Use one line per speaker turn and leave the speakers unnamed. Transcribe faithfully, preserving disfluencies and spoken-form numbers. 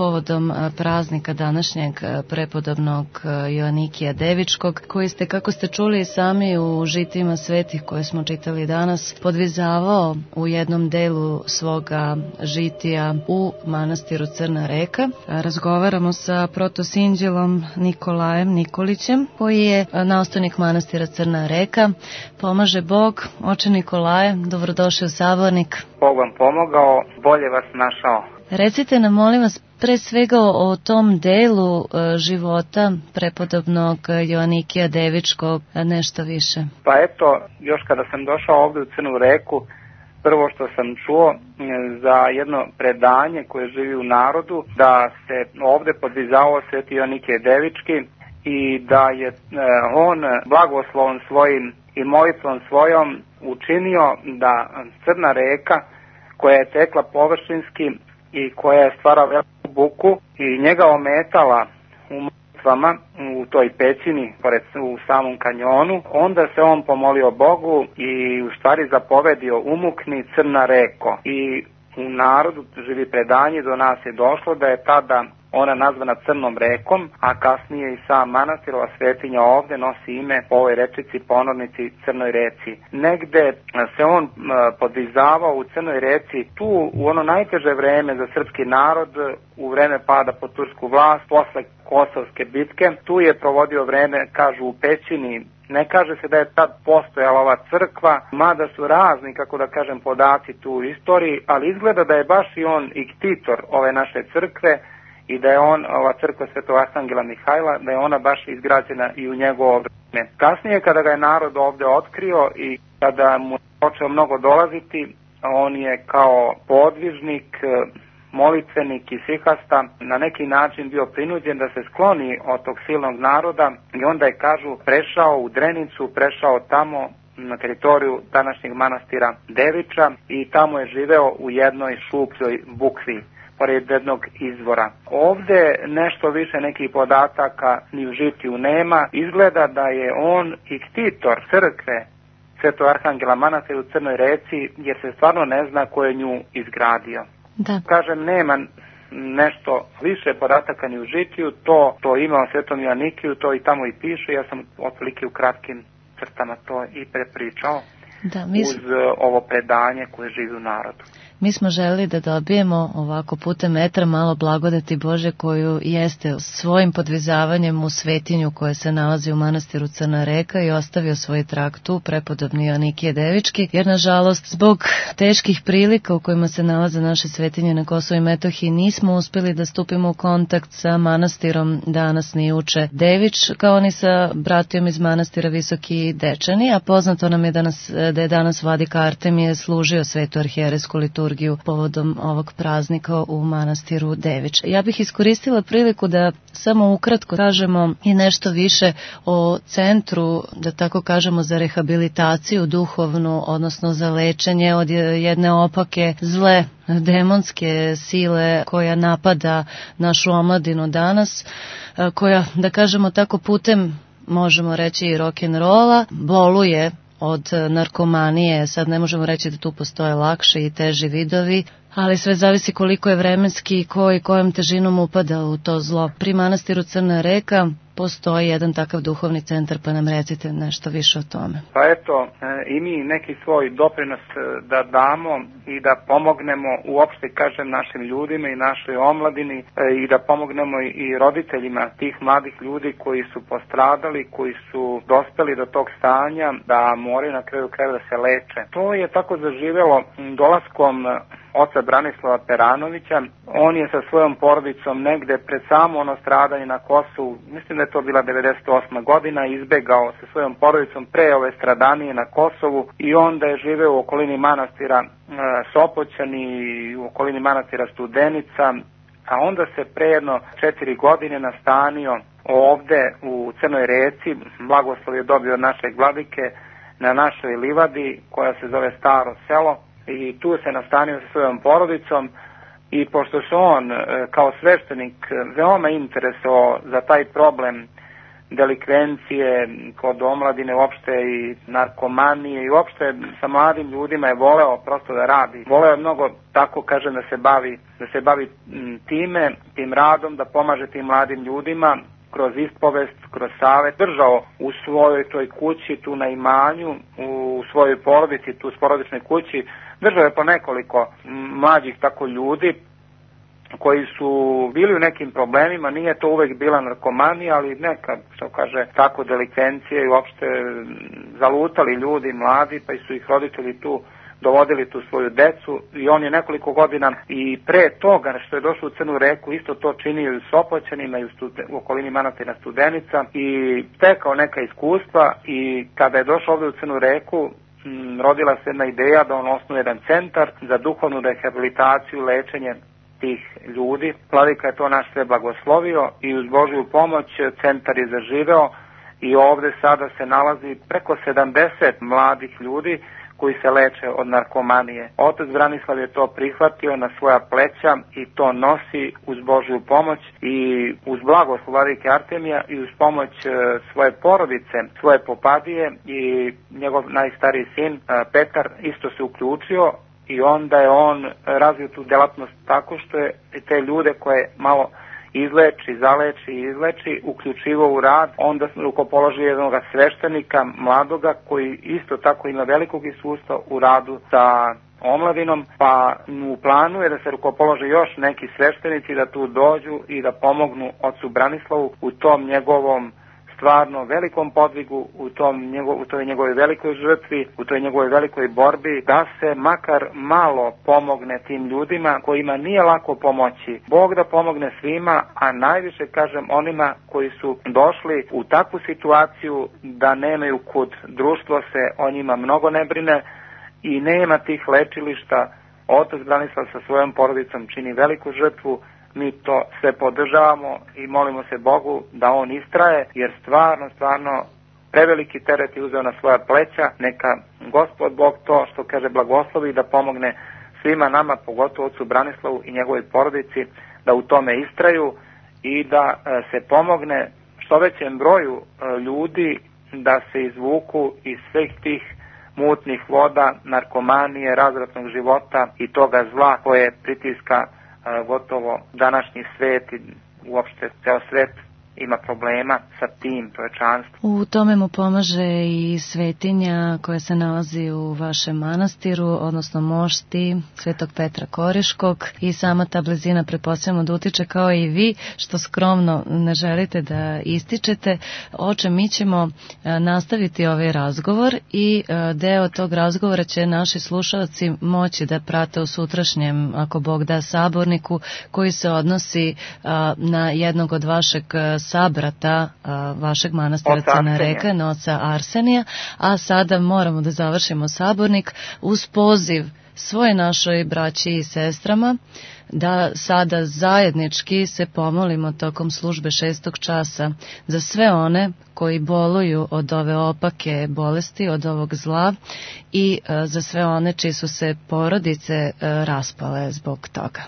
povodom praznika današnjeg prepodobnog Joanikija Devičkog, koji ste, kako ste čuli sami u žitima svetih koje smo čitali danas, podvizavao u jednom delu svoga žitija u manastiru Crna Reka. Razgovaramo sa protosinđelom Nikolajem Nikolićem, koji je nastavnik manastira Crna Reka. Pomaže Bog. Oče Nikolaje, dobrodošli u Sabornik.
Bog vam pomogao, bolje vas našao.
Recite nam, molim vas, pre svega o tom delu e, života prepodobnog Joanikija Devičkog nešto više.
Pa eto, još kada sam došao ovdje u Crnu Reku, prvo što sam čuo za jedno predanje koje živi u narodu, da se ovdje podvizao sveti Joanikije Devički i da je e, on blagoslovom svojim i molitvom svojom učinio da Crna reka, koja je tekla površinski i koja je stvarala veliku buku i njega ometala u molitvama u toj pećini pored u samom kanjonu, onda se on pomolio Bogu i u stvari zapovedio: umukni Crna reko. I u narodu živi predanje, do nas je došlo da je tada ona nazvana Crnom rekom, a kasnije i sam manastirova svetinja ovdje nosi ime po ovoj rečici, ponornici Crnoj reci. Negde se on podvizavao u Crnoj reci tu u ono najteže vreme za srpski narod, u vreme pada pod tursku vlast, posle Kosovske bitke. Tu je provodio vreme, kažu, u pećini. Ne kaže se da je tad postojala ova crkva, mada su razni, kako da kažem, podaci tu u istoriji, ali izgleda da je baš i on iktitor ove naše crkve i da je on, ova crkva Svetog Arhangela Mihajla, da je ona baš izgrađena i u njegovo vreme. Kasnije, kada ga je narod ovdje otkrio i kada mu je počeo mnogo dolaziti, on je kao podvižnik, molitvenik i sihasta na neki način bio prinuđen da se skloni od tog silnog naroda i onda je, kažu, prešao u Drenicu, prešao tamo na teritoriju današnjeg manastira Deviča i tamo je živeo u jednoj šupljoj bukvi pored jednog izvora. Ovdje nešto više nekih podataka ni u žitiju nema. Izgleda da je on iktitor crkve Svetog Arhangela manastira u Crnoj Reci, jer se stvarno ne zna ko je nju izgradio.
Da.
Kažem, nema nešto više podataka ni u žitiju, to, to ima o Svetom Joanikiju, to i tamo i piše, ja sam otprilike u kratkim crtama to i prepričao. Da, mi... uz ovo predanje koje živi u narodu.
Mi smo želeli da dobijemo ovako putem metra malo blagodati Bože koju jeste svojim podvizavanjem u svetinju koja se nalazi u manastiru Crna Reka i ostavio svoj trag tu, prepodobni Joanikije Devički, jer nažalost zbog teških prilika u kojima se nalaze naše svetinje na Kosovu i Metohiji nismo uspeli da stupimo u kontakt sa manastirom danas ni uče Devič, kao ni sa bratijom iz manastira Visoki Dečani, a poznato nam je danas, da je danas vladika Artemije služio svetu arhijerejsku liturgiju povodom ovog praznika u manastiru Devič. Ja bih iskoristila priliku da samo ukratko kažemo i nešto više o centru, da tako kažemo, za rehabilitaciju duhovnu, odnosno za lečenje od jedne opake zle demonske sile koja napada našu omladinu danas, koja, da kažemo tako, putem, možemo reći, i rock'n'rolla boluje od narkomanije. Sad ne možemo reći da tu postoje lakše i teži vidovi, ali sve zavisi koliko je vremenski i ko i kojom težinom upada u to zlo. Pri manastiru Crna Reka postoji jedan takav duhovni centar, pa nam recite nešto više o tome.
Pa eto, i mi neki svoj doprinos da damo i da pomognemo uopšte, kažem, našim ljudima i našoj omladini i da pomognemo i roditeljima tih mladih ljudi koji su postradali, koji su dospeli do tog stanja da moraju na kraju krajeva da se leče. To je tako zaživelo dolaskom oca Branislava Peranovića. On je sa svojom porodicom negde pred samo ono stradanje na Kosovu, mislim da je to bila devedeset osma godina, izbegao sa svojom porodicom pre ove stradanije na Kosovu i onda je živeo u okolini manastira e, Sopoćani i u okolini manastira Studenica, a onda se pre jedno četiri godine nastanio ovde u Crnoj Reci. Blagoslov je dobio od našeg vladike na našoj livadi koja se zove Staro selo i tu se nastanio sa svojom porodicom. I pošto se on kao sveštenik veoma interesovao za taj problem delikvencije kod omladine uopšte i narkomanije i uopšte sa mladim ljudima je voleo prosto da radi. Voleo je mnogo, tako kažem, da se bavi, da se bavi time, tim radom, da pomaže tim mladim ljudima kroz ispovest, kroz savet. Držao u svojoj toj kući, tu na imanju, u svojoj porodici, tu s porodičnoj kući, držao je po nekoliko mlađih tako ljudi koji su bili u nekim problemima, nije to uvek bila narkomanija, ali neka, što kaže, tako delikvencije i uopšte zalutali ljudi, mladi, pa su ih roditelji tu dovodili tu svoju decu i on je nekoliko godina i pre toga što je došao u Crnu Reku isto to činio i u Sopoćanima i u, studen, u okolini manastira Studenica i stekao neka iskustva i kada je došao ovde u Crnu Reku m, rodila se jedna ideja da on osnuje jedan centar za duhovnu rehabilitaciju, lečenje tih ljudi. Vladika je to naš sve blagoslovio i uz Božju pomoć centar je zaživeo i ovde sada se nalazi preko sedamdeset mladih ljudi koji se leče od narkomanije. Otac Branislav je to prihvatio na svoja pleća i to nosi uz Božju pomoć i uz blagoslov vladike Artemija i uz pomoć svoje porodice, svoje popadije i njegov najstariji sin Petar isto se uključio i onda je on razvio tu delatnost tako što je te ljude koje malo izleči, zaleči i izleči, uključivo u rad, onda rukopoložio jednog sveštenika, mladoga, koji isto tako ima velikog iskustva u radu sa omladinom, pa u planu je da se rukopolože još neki sveštenici da tu dođu i da pomognu ocu Branislavu u tom njegovom stvarno velikom podvigu, u, tom njegov, u toj njegovoj velikoj žrtvi, u toj njegovoj velikoj borbi, da se makar malo pomogne tim ljudima kojima nije lako pomoći. Bog da pomogne svima, a najviše, kažem, onima koji su došli u takvu situaciju da nemaju kud. Društvo se o njima mnogo ne brine i nema tih lečilišta. Otac Branislav sa svojom porodicom čini veliku žrtvu. Mi to sve podržavamo i molimo se Bogu da on istraje, jer stvarno, stvarno preveliki teret je uzeo na svoja pleća. Neka Gospod Bog to, što kaže, blagoslovi da pomogne svima nama, pogotovo ocu Branislavu i njegovoj porodici, da u tome istraju i da se pomogne što većem broju ljudi da se izvuku iz svih tih mutnih voda, narkomanije, razvratnog života i toga zla koje pritiska gotovo današnji svet i uopšte ceo svet ima problema sa tim čovečanstvom.
U tome mu pomaže i svetinja koja se nalazi u vašem manastiru, odnosno mošti Svetog Petra Koriškog i sama ta blizina pretpostavljamo da utiče kao i vi, što skromno ne želite da ističete. Oče, mi ćemo nastaviti ovaj razgovor i deo tog razgovora će naši slušalci moći da prate u sutrašnjem, ako Bog da, saborniku koji se odnosi na jednog od vašeg sabrata a, vašeg manastira Crna Reka, na oca Arsenija, a sada moramo da završimo sabornik uz poziv svoje našoj braći i sestrama da sada zajednički se pomolimo tokom službe šestog časa za sve one koji boluju od ove opake bolesti, od ovog zla i a, za sve one čiji su se porodice a, raspale zbog toga.